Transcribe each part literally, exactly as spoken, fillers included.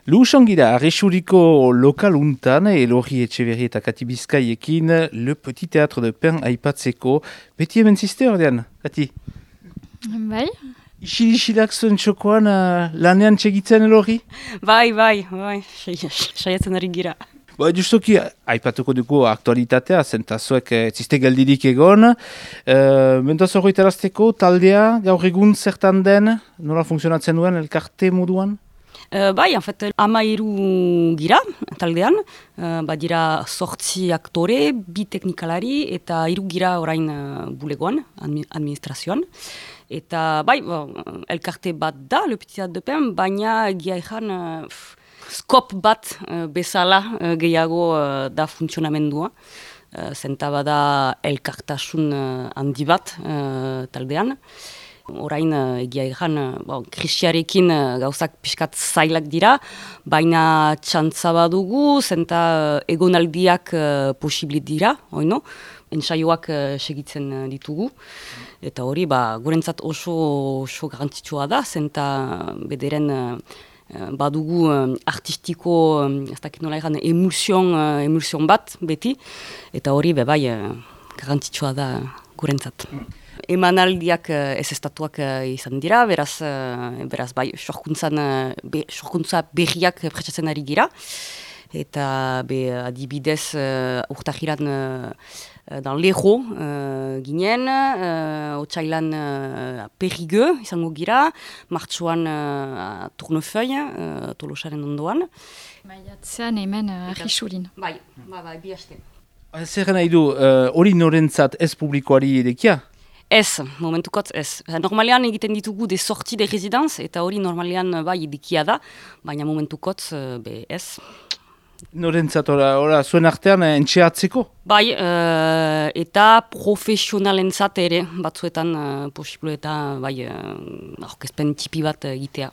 Luxongira, Arresuriko lokal untan, Elorri Etxeberri eta Kati Bizkaiekin, Le Petit Théâtre de Pen aipatzeko. Beti hemen ziste ordean, Kati? Bai. Isil-isilak zuen txokoan uh, lanean txegitzen Elorri? Bai, bai, bai, saiatzen ari gira. Ba, justoki, aipatuko dugu aktualitatea, zentazuek ez ziste geldirik egon. Uh, Mentaz hori tarazteko, taldea, gaur egun zertan den, nola funtzionatzen duen, elkarte moduan? Uh, bai, en fait, ama iru gira, taldean, uh, badira sortzi aktore, bi teknikalari, eta iru gira orain uh, bulegoan, admi administrazioan. Eta bai, bon, elkarte bat da, Le Petit Théâtre de Pen, baina egia ezan, uh, skop bat uh, bezala uh, gehiago uh, da funtzionamendua. Uh, zenta bada elkartasun uh, handi bat uh, taldean. Orain uh, egia ezan, uh, bon, krisiarekin uh, gauzak pixkat zailak dira, baina txantza badugu, zenta uh, egonaldiak uh, posiblit dira, oino? Entsaioak uh, segitzen uh, ditugu. Eta hori, ba, gurentzat oso, oso garrantzitsua da, zenta bederen uh, badugu uh, artistiko, um, ez dakit nola egan, emulsion, uh, emulsion bat, beti. Eta hori, be bai, uh, garrantzitsua da gurentzat. Emanaldiak uh, ez estatuak uh, izan dira, beraz, uh, beraz bai, sorkuntzan, uh, be, sorkuntza berriak pretsatzen ari gira. Eta be, adibidez uh, urtahiran uh, dan Lejo uh, ginen, uh, otsailan uh, Perrigueux izango gira, martxuan uh, Tournefeuille, uh, Tolosaren ondoan. Maiatzean hemen uh, Arrisurin. Bai, bai, bai, bi haste. Zer nahi du, hori uh, norentzat ez publikoari edekia? Ez, momentukot ez. Normalean egiten ditugu de sorti de residence, eta hori normalean bai edekia da, baina momentukot uh, be ez. Norentzat, ora, ora, zuen artean entxeatzeko? Bai, uh, eta profesionalentzat ere, batzuetan uh, posible eta bai, uh, aurkezpen tipi bat egitea.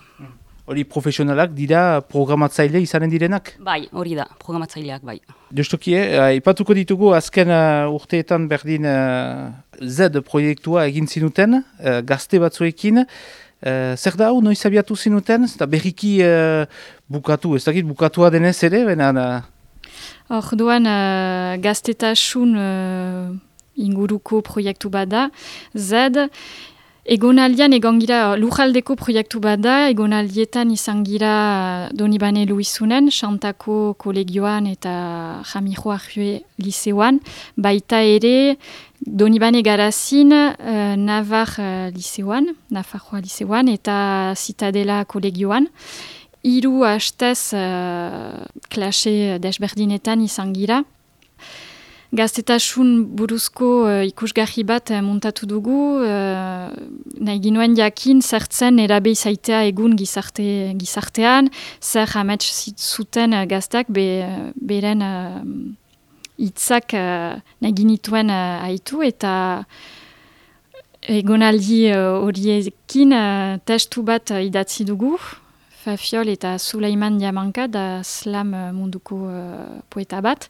Hori profesionalak dira programatzaile izanen direnak? Bai, hori da, programatzaileak bai. Justoki, eh, ipatuko ditugu azken uh, urteetan berdin uh, Z proiektua egin zinuten, uh, gazte batzuekin. Uh, zer da hau, noiz abiatu zinuten? Eta berriki uh, bukatu, ez dakit bukatua denez ere? Hor duan uh, gaztetasun uh, inguruko proiektu bada, Z. Egonaldian egon gira, lujaldeko proiektu bada, egonaldietan izan gira Donibane Luizunen, Xantako kolegioan eta Jamijo Arjue liseoan, baita ere Donibane Garazin, uh, Navar uh, liseoan, Nafarroa liseoan, eta Zitadela kolegioan. Hiru hastez uh, klase desberdinetan izan gira. Gaztetasun buruzko uh, ikusgarri bat uh, montatu dugu, uh, nahi ginuen jakin zertzen erabe izaitea egun gizarte, gizartean, zer amets zuten uh, gazteak be, beren uh, hitzak uh, nahi ginituen uh, haitu, eta egonaldi horiekin uh, uh, testu bat uh, idatzi dugu, Fafiol eta Suleiman Diamanka da slam uh, munduko uh, poeta bat.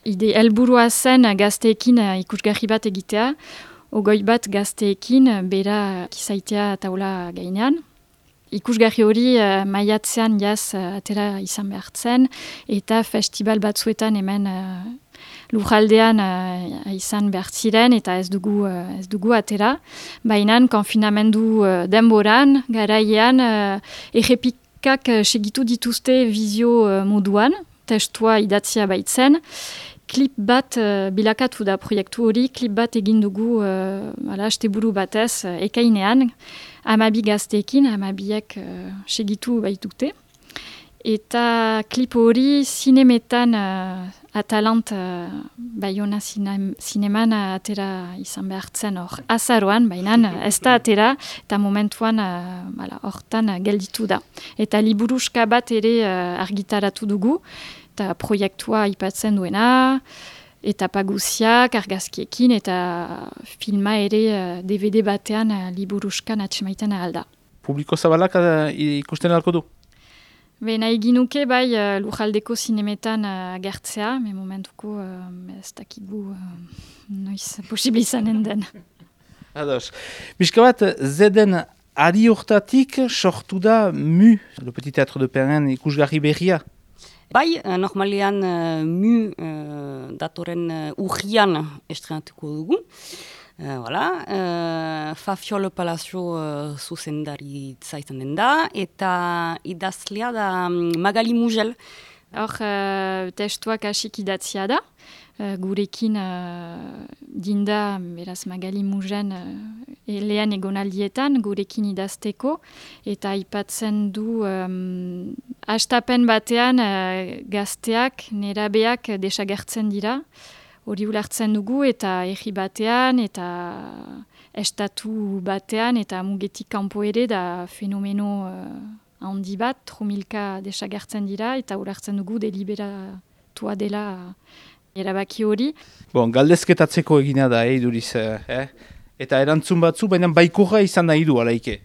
Ide helburua zen gazteekin uh, ikusgarri bat egitea, ogoi bat gazteekin uh, bera kizaitea taula gainean. Ikusgarri hori uh, maiatzean jaz uh, atera izan behartzen, eta festival batzuetan hemen uh, lujaldean uh, izan behartziren, eta ez dugu, uh, ez dugu atera. Baina konfinamendu uh, denboran, garaian, uh, errepikak uh, segitu dituzte vizio uh, moduan, testua idatzia baitzen. Klip bat uh, bilakatu da proiektu hori, klip bat egin dugu uh, ala, asteburu batez uh, ekainean, amabi gazteekin, amabiek uh, segitu baitute. Eta klip hori zinemetan uh, atalant uh, Bayona zineman uh, atera izan behartzen hor azaroan, baina ez da atera, eta momentuan uh, hortan uh, gelditu da. Eta liburuska bat ere uh, argitaratu dugu, eta proiektua aipatzen duena, eta paguziak, argazkiekin, eta filma ere uh, D V D batean uh, liburuskan atxemaiten alda. Publiko zabalak uh, ikusten alko du? Be, nahi ginuke bai uh, lujaldeko zinemetan uh, agertzea, me momentuko uh, ez dakigu uh, noiz posible izanen den. Ados. Bizka bat, zeden Ari hortatik sortu da Mu, le Petit Théâtre de Perrin ikusgarri berria. Bai, normalean uh, Mu uh, datoren uh, urrian estrenatuko dugu. Uh, voilà. uh, Fafiol Palazzo uh, zuzendaritza izan den da, eta idazlea da um, Magali Mugel. Hor, uh, testuak hasik idatzia da. Uh, gurekin uh, dinda, beraz Magali Mugen uh, lehen egonaldietan, gurekin idazteko, eta aipatzen du um, hastapen batean uh, gazteak, nerabeak desagertzen dira, hori ulertzen dugu, eta erri batean, eta estatu batean, eta mugetik kanpo ere da fenomeno uh, handi bat, tromilka desagertzen dira, eta ulertzen dugu deliberatua dela erabaki hori. Bon, galdezketatzeko egina da, eh, duriz, eh? Eta erantzun batzu, baina baikorra izan nahi du, alaike.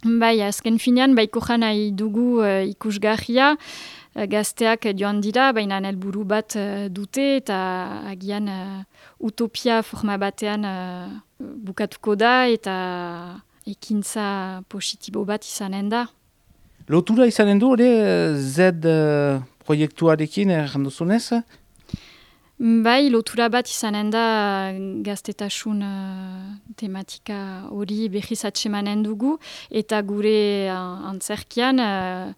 Bai, azken finean, baikorra nahi dugu uh, ikusgarria, uh, gazteak joan dira, baina helburu bat uh, dute, eta agian uh, utopia forma batean uh, bukatuko da, eta ekintza positibo bat izanen da. Lotura izanen du, hori, Z uh, proiektuarekin, erranduzunez? Bai, lotura bat izanen da gaztetasun uh, tematika hori behiz atsemanen dugu, eta gure uh, antzerkian uh,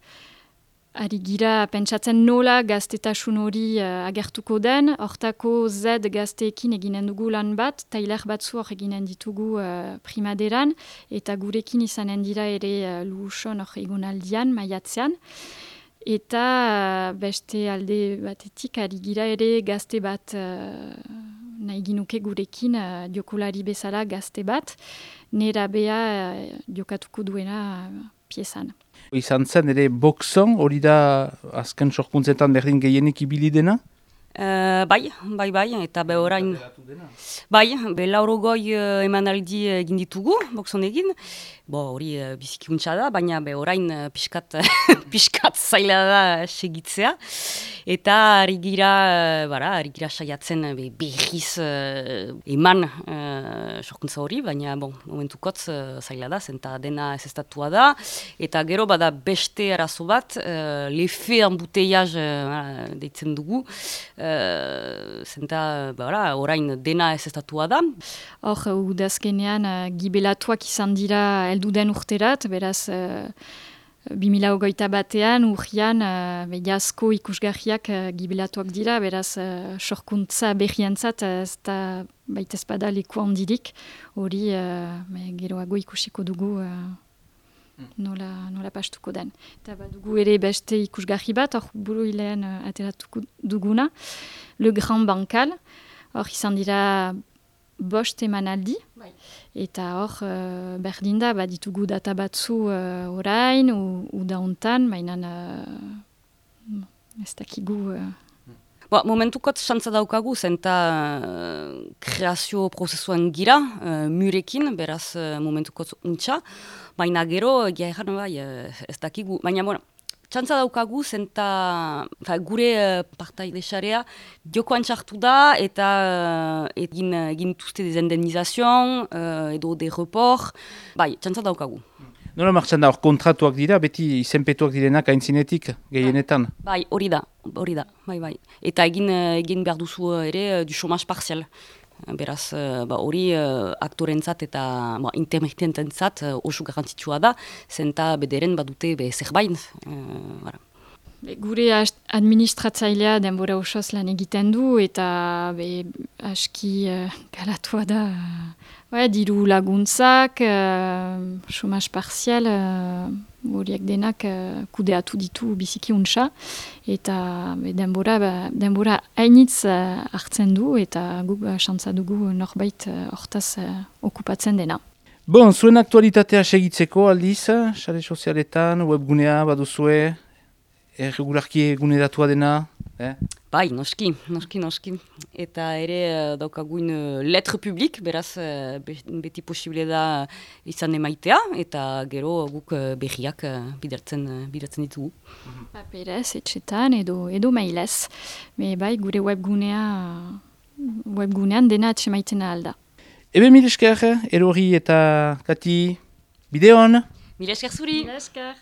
ari gira pentsatzen nola gaztetasun hori uh, agertuko den, hortako Z gazteekin eginen dugu lan bat, tailer batzu hor eginen ditugu uh, primaderan, eta gurekin izanen dira ere uh, luuson hor egonaldian, maiatzean. Eta beste alde batetik ari gira ere gazte bat uh, nahi ginuke gurekin uh, jokolari bezala gazte bat, nerabea uh, jokatuko duena uh, piezan. Izan zen ere boxon, hori da azken sorkuntzetan berdin gehienik ibili dena? Uh, bai, bai, bai, eta be orain... Bai, be laurogoi uh, emanaldi egin ditugu, boxon egin. Bo, hori uh, bizikuntza da, baina be orain uh, piskat, piskat zaila da segitzea. Eta ari gira, uh, bara, ari gira saiatzen be, behiz uh, eman uh, sorkuntza hori, baina bon, momentukotz uh, zaila da, zenta dena ez estatua da. Eta gero bada beste arazo bat, uh, lefe embouteillage uh, deitzen dugu, Uh, zenta, bara, orain dena ez estatua da. Hor, udazkenean, uh, gibelatuak izan dira helduden urterat, beraz, uh, bi mila hogeita batean, urrian, uh, jasko ikusgarriak uh, gibelatuak dira, beraz, uh, sorkuntza berriantzat, uh, ez da baita espada leku handirik, hori uh, geroago ikusiko dugu uh, Nola, nola pastuko den. Eta badugu ere beste ikusgarri bat, hor buru hilean uh, ateratuko duguna, Le Grand Bancal, hor izan dira bost emanaldi, bai. Eta hor uh, berdin da, baditugu data batzu uh, orain, uda hontan, mainan uh, ez dakigu... Uh, Ba, momentukot xantza daukagu, zenta uh, kreazio prozesuan gira, uh, murekin, beraz uh, momentukot untxa, baina gero, egia egan, bai, uh, ez dakigu, baina, bueno, xantza daukagu, zenta fa, gure uh, partaide xarea jokoan txartu da, eta uh, egin, egin tuzte dezendenizazion, uh, edo de report, bai, xantza daukagu. Nola martxan da, hor kontratuak dira, beti izenpetuak direnak aintzinetik, gehienetan? Bai, hori da, hori da, bai, bai. Eta egin, egin behar duzu ere du chômage partiel. Beraz, hori ba, aktorentzat eta ba, intermitententzat oso garrantzitsua da, zenta bederen badute be zerbait. Uh, Gure administratzailea denbora osoz lan egiten du, eta be, aski uh, galatua da. Uh, diru laguntzak, uh, chômage partiel, horiek uh, denak uh, kudeatu ditu biziki untsa, eta be, denbora, ba, denbora hainitz uh, hartzen du, eta guk uh, xantza dugu norbait hortaz uh, uh, okupatzen dena. Bon, zuen aktualitatea segitzeko aldiz, sare sozialetan, webgunea baduzue, erregularki eguneratua dena, eh? Bai, noski, noski, noski. Eta ere uh, daukagun uh, letre publik, beraz uh, beti posible da izan emaitea, eta gero guk uh, berriak uh, bidertzen, uh, bidertzen ditugu. Paperez, etxetan, edo, edo mailez. Me bai, gure webgunea, webgunean dena atxemaiten alda. Ebe mil esker, Erori eta Kati, bideon! Mila esker zuri! Mila esker!